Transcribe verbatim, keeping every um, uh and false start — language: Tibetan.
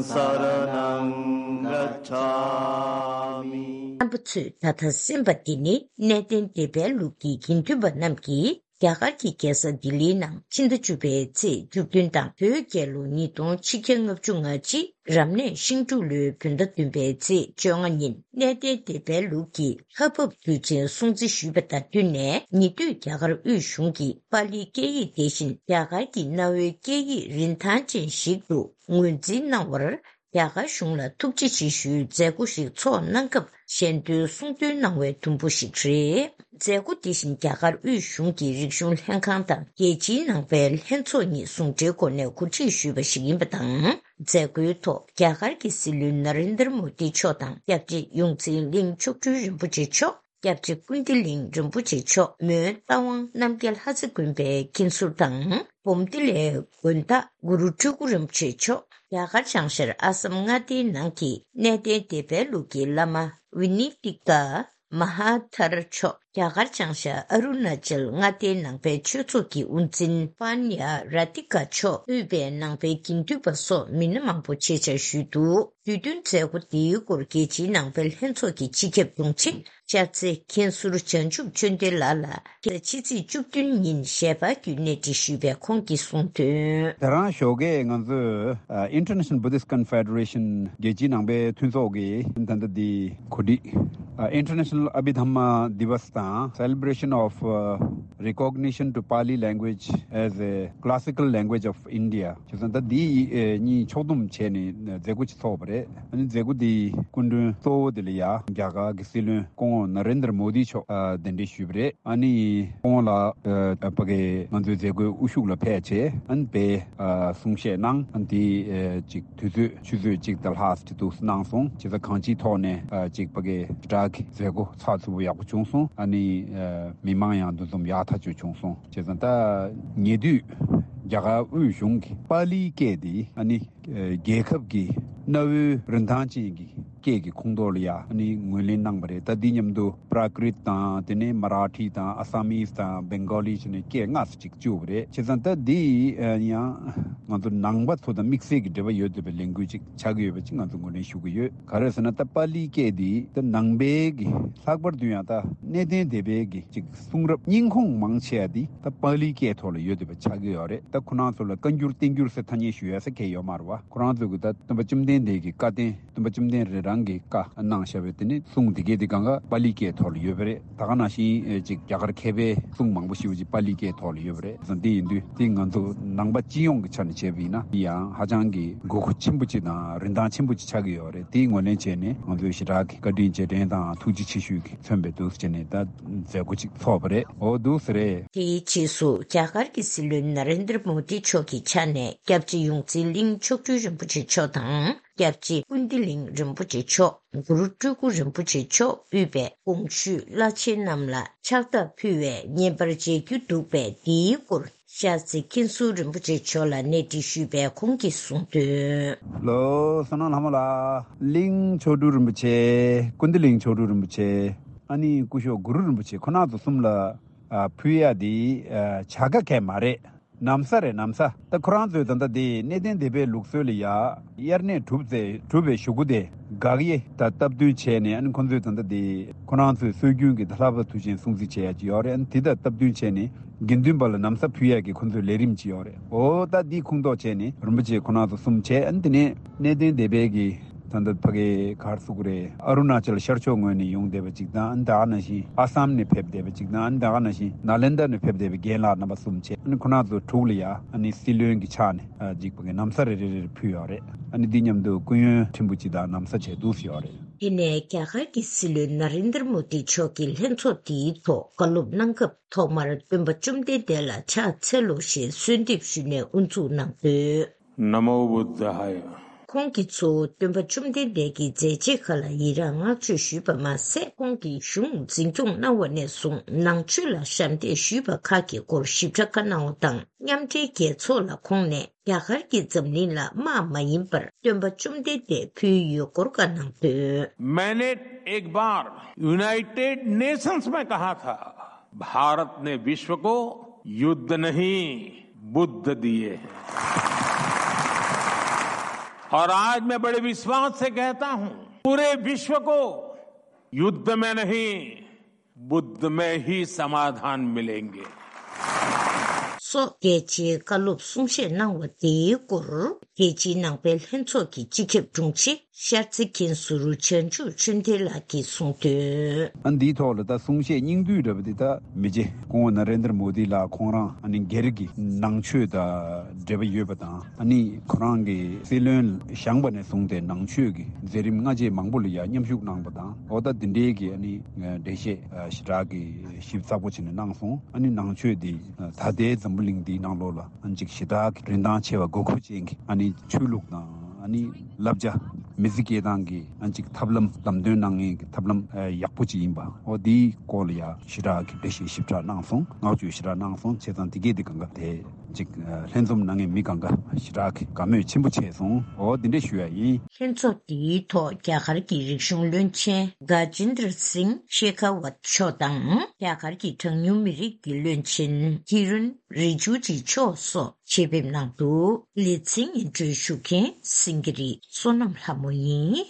རྣམ་པ་ཚོས་ད་ལྟ་གསན་པ་འདི་ནི་གནས་བརྟན་སྡེ་པའི་ལུགས་ཀྱི་དགེ་འདུན་པ་རྣམས་ཀྱིས་རྒྱ་གར་གྱི་རྒྱལ་ས་ལྡི་ལིའི་ནང་ཕྱི་ཟླ་བཅུ་པའི་ཚེས་བཅུ་བདུན་དང་བོད་རྒྱལ་ལོ་ཉིས་སྟོང་ཆིག་བརྒྱ་ལྔ་བཅུ་ང་གཅིག་རབ་གནས་ཤིང་འབྲུག་ལོའི་བོད་ཟླ་བདུན་པའི་ཚེས་བཅོ་ལྔ་ཉིན་གནས་བརྟན་སྡེ་པའི་ལུགས་ཀྱི་ལྷ་བབས་དུས་ཆེན་སྲུང་བརྩི་ཞུས་པ་དང་བསྟུན་ནས། ཉེ་དུས་རྒྱ་གར་དབུས་གཞུང་གིས་པཱ་ལིའི་སྐད་ཡིག་དེ་བཞིན་རྒྱ་གར་གྱི་གནའ་བོའི་སྐད་ཡིག་རིན་ཐང་ཅན་ཞིག་ཏུ་ངོས་འཛིན་གནང་བར། རྒྱ་གར་གཞུང་ལ་ཐུགས་རྗེ་ཆེ་ཞུའི་མཛད་སྒོ་ཞིག་ཚོགས་གནང་སྐབས་ཞལ་འདོན་གསུང་འདོན་གནང་བའི་དུམ་བུ་ཞིག་རེད། མཛད་སྒོ་དེ་བཞིན་རྒྱ་གར་དབུས་གཞུང་གི་རིག་གཞུང་ལྷན་ཁང་དང་རྒྱལ་སྤྱིའི་ནང་པའི་ལྷན་ཚོགས་གཉིས་ཟུང་འབྲེལ་སྒོ་ནས་གོ་སྒྲིག་ཞུས་པ་ཞིག་ཡིན་པ་དང་། མཛད་སྒོའི་ཐོག་རྒྱ་གར་གྱི་སྲིད་བློན་ན་རེན་དར་མོ་དི་མཆོག་དང་། སྐྱབས་རྗེ་ཡོངས་འཛིན་གླིང་མཆོག་སྤྲུལ་རིན་པོ་ཆེ་མཆོག་སྐྱབས་རྗེ་ཀུན་བདེ་གླིང་རིན་པོ་ཆེ་མཆོག་མོན་རྟ་དབང་རྣམ་རྒྱལ་ལྷ་རྩེ་དགོན་པའི་མཁན་ཟུར་དང་། སྦོམ་ཏི་ལའི་དགོན་བདག་གུ་རུ་སྤྲུལ་སྐུ་རིན་པོ་ཆེ་མཆོག་རྒྱ་གར་བྱང་ཤར་ཨ་སམ་མངའ་སྡེའི་ནང་གི་གནས་བརྟན་སྡེ་པའི་ལུགས་ཀྱི་བླ་མ་ཝི་ནི་ཏི་ཀ་མ་ཧཱ་ཐར་མཆོག་རྒྱ་གར་བྱང་ཤར་ཨ་རུ་ན་ཅལ་མངའ་སྡེའི་ནང་པའི་ཆོས་ཚོགས་ཀྱི་དབུ་འཛིན་པཱན་ཡ་ར་ཏི་ཀ་མཆོག་དབུས་པའི་ནང་པའི་དགེ་འདུན་པ་སོགས་མི་སྣ་མང་པོ་ཆེད་བཅར་ཞུས་འདུག་དུས་སྟོན་མཛད་སྒོ་འདིའི་སྐོར་རྒྱལ་སྤྱིའི་ནང་པའི་ལྷན་ཚོགས་ཀྱི་སྤྱི་ཁྱབ་དྲུང་ཆེ་ཤར་རྩེ་མཁན་ཟུར་བྱང་ཆུབ་ཆོས་ལྡན་ལགས་ལ་ཕྱི་ཟླ་ཕྱི་ཚེས་བཅུ་བདུན་ཉིན་ཞལ་པར་བརྒྱུད་གནས་འདྲི་ཞུས་པའི་ཁོང་གིས་གསུངས་དོན། དེ་རིང་ཞོགས་ཀས་ང་ཚོས་ཨ། International Buddhist Confederation རྒྱལ་སྤྱིའི་ནང་པའི་མཐུན་ཚོགས་ཀྱིས་ད་ལྟ་འདི་གོ་སྒྲིག་ཨ། International Abhidhamma Divas དང་Celebration of uh, Recognition to Pali Language as a Classical Language of India བྱས་ཙང་ད་འདི་ཨེ། གཉིས་ཕྱོགས་བསྡོམས་བྱས་ནས་མཛད་སྒོ་ཅིག་ཚོགས་པ་རེད། ཨ་ནི་མཛད་སྒོ་འདིའི་སྐུ་མགྲོན་གཙོ་བོ་དེ་ལ་ཡ་རྒྱ་གར་གྱི་སྲིད་བློན་སྐུ་ངོ་ན་རེན་དར་མོ་དི་མཆོག་ཨ། གདན་འདྲེན་ཞུས་པ་རེད། ཨ་ནི་ཁོང་ལ་ཨ། ཕ་གི་ང་ཚོའི་མཛད་སྒོའི་དབུ་བཞུགས་ལ་ཕེབས་བྱས་ཨ་ནི་དཔེ་ཨ། གསུང་བཤད་གནང་། ཨ་ནི་དེ་ཨ། ཅིག་དུས་ཚོད་ཆུ་ཚོད་གཅིག་དང་ལྷག་ཅིག་ཏུ་གནང་སོང་། བྱས་ཙང་གང་ཅིའི་ཐོག་ནས་ཨ། ཅིག་ཕ་གི་དྲག་གི་མཛད་སྒོ་ཚགས་ཚུད་པོ་ཡག་པོ་བྱུང་སོང་། ཨ་ནི་ཨ། མི་མང་ཡང་འདུ་འཛོམས་ཡག་ཐག་ཆོད་བྱུང་སོང་། བྱས་ཙང་ད་ཉེ་དུས་རྒྱ་གར་དབུས་གཞུང་གིས་པཱ་ལིའི་སྐད་དེ་ཨ་ནི་རྒྱལ་ཁབ་ཀྱི་གནའ་བོའི་རིན་ཐང་ཅན་གྱི་སྐད་ཀྱི་ཁོངས་གཏོགས་ལ་ཡ་ཨ་ནི་ངོས་ལེན་གནང་བ་རེད། ད་འདི་མཉམ་དུ་Prakrit དང་དེ་ནས་Marathi དང་Assamese དང་Bengali བྱས་ནས་སྐད་ལྔ་ཙམ་ཅིག་བཅུག་པ་རེད། བྱས་ཙང་ད་འདི་ཡང་ང་ཚོ་ནང་པ་ཚོ་དང་དམིགས་བསལ་གྱི་འབྲེལ་བ་ཡོད་བསྡད་པའི་ལས་འགུལ་ཅིག་ཆགས་ཀྱི་ཡོད་པ་ཅིག་ང་ཚོ་ངོས་ལེན་ཞུ་གི་ཡོད། ག་རེ་ཟེར་ན་ད་པཱ་ལིའི་སྐད་འདི་ད་ནང་པའི་གི་ལྷག་པར་དུ་ཡང་ད་གནས་བརྟན་སྡེ་པའི་གི་ཅིག་གསུང་རབ་རྙིང་ཁུངས་མང་ཆེ་བ་འདི་ད་པཱ་ལིའི་སྐད་ཐོག་ལ་ཡོད་བསྡད་པ་ཆགས་ཀྱི་ཡོད་རེད། ད་ཁོ་རང་ཚོ་ལ་བཀའ་འགྱུར་བསྟན་འགྱུར་ཟེར་ཐ་སྙད་ཞུ་ཡ་ཟེར་མཁན་ཡོད་མ་རེད་བ། ཁོ་རང་ཚོ་གི་ད་སྟོན་པ་བཅོམ་ལྡན་འདས་ཀྱི་བཀའ་བསྟན། སྟོན་པ་བཅོམ་ལྡན་འདས་རང་གིས་བཀའ་གནང་བཞག་པའི་དེ་ནི་གསུང་དེ་གའི་དེ་གང་ག་པཱ་ལིའི་སྐད་ཐོག་ལ་ཡོད་པ་རེད། ད་ག་ནང་བཞིན་ཨེ་ཅིག་རྒྱ་གར་མཁས་པའི་གསུང་མང་པོ་ཞེ་པོ་ཅིག་པཱ་ལིའི་སྐད་ཐོག་ལ་ཡོད་པ་རེད། བྱས་ཙང་དེ་ཡིན་དུས་དེ་ང་ཚོ་ནང་པ་སྤྱི་ཡོངས་ཀྱི་ཆ་ནས་བྱས་པ་ཡིན་ན་དེ་ཡང་ཧ་ཅང་གི་དགོས་མཁོ་ཆེན་པོ་ཅིག་དང་རིན་ཐང་ཆེན་པོ་ཅིག་ཆགས་ཀྱི་ཡོད་རེད། དེའི་ངོས་ལེན་བྱས་ནས་ང་ཚོས་ཞེ་དྲག་གི་བཀའ་དྲིན་རྗེས་དྲན་དང་ཐུགས་རྗེ་ཆེ་ཞུ་གི་མཚོན་པའི་འདུག་སེ་བྱས་ནས་ད་མཛད་སྒོ་ཅིག་ཚོགས་པ་རེད། འོ་འདུག་སེ་རེད། དེའི་རྗེས་སུ་རྒྱ་གར་གྱི་སྲིད་བློན་ན་རེན་དར་མོ་དི་མཆོག་གི་ཕྱག་ནས་སྐྱབས་རྗེ་ཡོངས་འཛིན་གླིང་མཆོག་སྤྲུལ་རིན་པོ་ཆེ་མཆོག་དང་། སྐྱབས་རྗེ་ཀུན་བདེ་གླིང་རིན་པོ་ཆེ་མཆོག་གུ་རུ་སྤྲུལ་སྐུ་རིན་པོ་ཆེ་མཆོག་དབུས་པའི་གོང་ཞུས་བླ་ཆེན་རྣམས་ལ་ཕྱག་རྟགས་ཕུལ་བའི་བརྙན་པར་མཇལ་རྒྱུ་འདུག་པས། འདིའི་སྐོར་ཤར་རྩེ་མཁན་ཟུར་རིན་པོ་ཆེ་མཆོག་ལ་གནས་འདྲི་ཞུས་པས་ཁོང་གིས་གསུངས་དོན། ལོ། བསོད་ནམས་ལྷ་མོ་ལགས། གླིང་མཆོག་སྤྲུལ་རིན་པོ་ཆེ། ཀུན་བདེ་གླིང་མཆོག་སྤྲུལ་རིན་པོ་ཆེ། ཨ་ནི་སྐུ་ཞབས་གུ་རུ་རིན་པོ་ཆེ་ཁོ་ན་ཚོ་གསུམ་ལ་ཨ། ཕུལ་ཡ་དེ་ཨ། བྱ་དགའ་གས་མ་རེད། ན་བཟའ་རེད། ན་བཟའ། ད་ཁོ་རང་ཚོའི་ད་ལྟ་དེ་གནས་བརྟན་སྡེ་པའི་ལུགས་སྲོལ་ལ་ཡ་དབྱར་གནས་གྲུབ་ཚེ་གྲུབ་པའི་གཞུག་གུ་དེ་དགག་དབྱེ་ད་སྟབས་བསྟུན་བྱས་ནས། ཨ་ནི་ཁོ་ཚོས་ད་ལྟ་དེ་ཁོ་རང་ཚོའི་སྲོལ་རྒྱུན་གྱི་ད་ལྷ་བབས་དུས་ཆེན་སྲུང་བརྩི་བྱེད་ཡ་ཅིག་ཡོད་རེད། ཨ་ནི་དེ་དང་སྟབས་བསྟུན་བྱས་ནས་དགེ་འདུན་པ་ལ་ན་བཟའ་ཕུལ་ཡ་གི་ཁོ་ཚོའི་ལས་རིམ་ཅིག་ཡོད་རེད། འོ་ད་འདི་ཁུངས་གཏོགས་བྱས་ནས་རིན་པོ་ཆེ་ཁོ་རང་ཚོ་གསུམ་བྱས། ཨ་ནི་དེ་ནས་གནས་བརྟན་སྡེ་པའི་གི་ད་ལྟ་ཕ་གི་ག་རེ་ཟེར་དགོས་རེད། ཨ་རུ་ན་ཅལ་ཤར་ཕྱོགས་ངོས་ནས་ཡོང་བསྡད་པ་ཅིག་དང་། ཨ་ནི་ད་ག་ནང་བཞིན་ཨ་སམ་ནས་ཕེབས་བསྡད་པ་ཅིག་དང་། ཨ་ནི་ད་ག་ནང་བཞིན་ནཱ་ལེནྡྲ་ནས་ཕེབས་བསྡད་པའི་རྒན་ལགས་རྣམ་པ་གསུམ་བྱས། ཨ་ནི་ཁོ་རང་ཚོ་དྲུག་ལ་ཡ་ཨ་ནི་སྲིད་བློན་གྱི་ཕྱག་ནས་ཨ་ཅིག་ཕ་གི་ན་བཟའ་རེ་རེ་རེ་ཕུལ་ཡོད་རེད། ཨ་ནི་འདི་མཉམ་དུ་སྐུ་ཡོན་ཕྲན་བུ་ཅིག་དང་ན་བཟའ་བྱས་འདུག་སེ་ཡོད་རེད། དེ་ནས་རྒྱ་གར་གྱི་སྲིད་བློན་ན་རེན་དར་མོ་དི་མཆོག་གིས་ལྷན་ཚོགས་འདིའི་ཐོག་བཀའ་སློབ་གནང་སྐབས། ཐོག་མར་སྟོན་པ་བཅོམ་ལྡན་འདས་ལ་ཕྱག་འཚལ་ལོ་ཞེས་གསོལ་འདེབས་ཞུས་ནས་དབུ་འཛུགས་གནང་དོན། नमो बुद्धाय। ཁོང་གིས་གཙོ་བོ་སྟོན་པ་བཅོམ་ལྡན་འདས་ཀྱི་མཛད་རྗེས་ཁག་ལ་ཡི་རངས་བསྔགས་བརྗོད་ཞུས་པ་མ་ཟད། ཁོང་གིས་གཞུང་འཛིན་སྐྱོང་གནང་བ་ནས་བཟུང་ནང་ཆོས་ལ་ཞབས་འདེགས་ཞུས་པ་ཁག་གི་སྐོར་ཞིབ་ཕྲ་བཀའ་གནང་བ་དང་། མཉམ་འབྲེལ་རྒྱལ་ཚོགས་ལ་ཁོང་ནས་རྒྱ་གར་གྱིས་འཛམ་གླིང་ལ་དམག་མ་ཡིན་པར་སྟོན་པ་བཅོམ་ལྡན་འདས་ཕུལ་ཡོད་སྐོར་བཀའ་གནང་དོན། मैंने एक बार United Nations में कहा था, भारत ने विश्व को युद्ध नहीं, बुद्ध दिए हैं। और आज मैं बड़े विश्वास से कहता हूं, पूरे विश्व को युद्ध में नहीं, बुद्ध में ही समाधान मिलेंगे। སོགས་རྒྱལ་སྤྱིའི་བཀའ་སློབ་གསུང་བཤད་གནང་བ་དེའི་སྐོར། རྒྱལ་སྤྱིའི་ནང་པའི་ལྷན་ཚོགས་ཀྱི་སྤྱི་ཁྱབ་དྲུང་ཆེ་ཤར་རྩེ་མཁན་ཟུར་བྱང་ཆུབ་ཆོས་ལྡན་ལགས་ཀྱིས་གསུངས་དོན། ཨ་འདིའི་ཐོག་ལ་ད་གསུང་བཤད་སྙིང་བསྡུས་འདྲ་པོ་འདི་ད་མི་རྗེ་སྐུ་ངོ་ན་རེན་དར་མོ་དི་ལགས་ཁོང་རང་ཨ་ནི་སྒེར་གྱི་ནང་ཆོས་དང་འབྲེལ་བ་ཡོད་པ་དང་། ཨ་ནི་ཁོ་རང་གི་སྲིད་བློན་བཞེངས་པ་ནས་བཟུང་སྟེ་ནང་ཆོས་ཀྱི་མཛད་རིམ་སྔ་རྗེས་མང་པོ་ལ་ཡང་མཉམ་ཞུགས་གནང་པ་དང་། འོ་ད་འདི་འདྲའི་གི་ཨ་ནི་འགྲེལ་བཤད་ཞེ་དྲག་གི་ཞིབ་ཚགས་པོ་བྱས་ནས་གནང་སོང་། ཨ་ནི་ནང་ཆོས་འདི་ད་ལྟའི་འཛམ་བུ་གླིང་འདིའི་ནང་ལོགས་ལ་ཨ་ནི་ཅིག་ཞེ་དྲག་གི་རིན་ཐང་ཆེ་བ་དགོས་མཁོ་ཅན་གྱི་ཨ་ནི་ཆོས་ལུགས་དང་ཨ་ནི་བསླབ་བྱ། མི་ཚེ་སྐྱེལ་སྟངས་ཀྱི་ཨ་ནི་ཅིག་ཐབས་ལམ། ལམ་སྟོན་གནང་མཁན་གྱི་ཐབས་ལམ་ཡག་པོ་ཅིག་ཡིན་པ། འོ་འདིའི་སྐོར་ལ་ཡང་ཞེ་དྲག་གི་འགྲེལ་བཤད་ཞིབ་ཕྲ་གནང་སོང་། བསྔགས་བརྗོད་ཞེ་དྲག་གནང་སོང་། བྱས་ཙང་དེ་གས་དེ་གང་ག་དེ་ཅིག་ལྷན་འཛོམས་གནང་མཁན་མི་གང་ག་ཞེ་དྲག་གི་དགའ་མོས་ཆེན་པོ་བྱས་སོང་། འོ་འདི་འདྲ་ཞུ་ཡ་ཡིན། ལྷན་ཚོགས་འདིའི་ཐོག་རྒྱ་གར་གྱི་རིག་གཞུང་བློན་ཆེན་ག་ཇིན་དར་སིང་ཤེ་ཁ་ཝད་མཆོག་དང་། རྒྱ་གར་གྱི་གྲངས་ཉུང་མི་རིགས་ཀྱི་བློན་ཆེན་ཀི་རུན་རི་ཇུ་ཇི་མཆོག་སོགས་ཆེད་ཕེབས་གནང་འདུག་ལེ་ཚན་སྙན་སྒྲོན་ཞུ་མཁན་སེང་གེ་རི་བསོད་ནམས་ལྷ་མོ་ཡིན།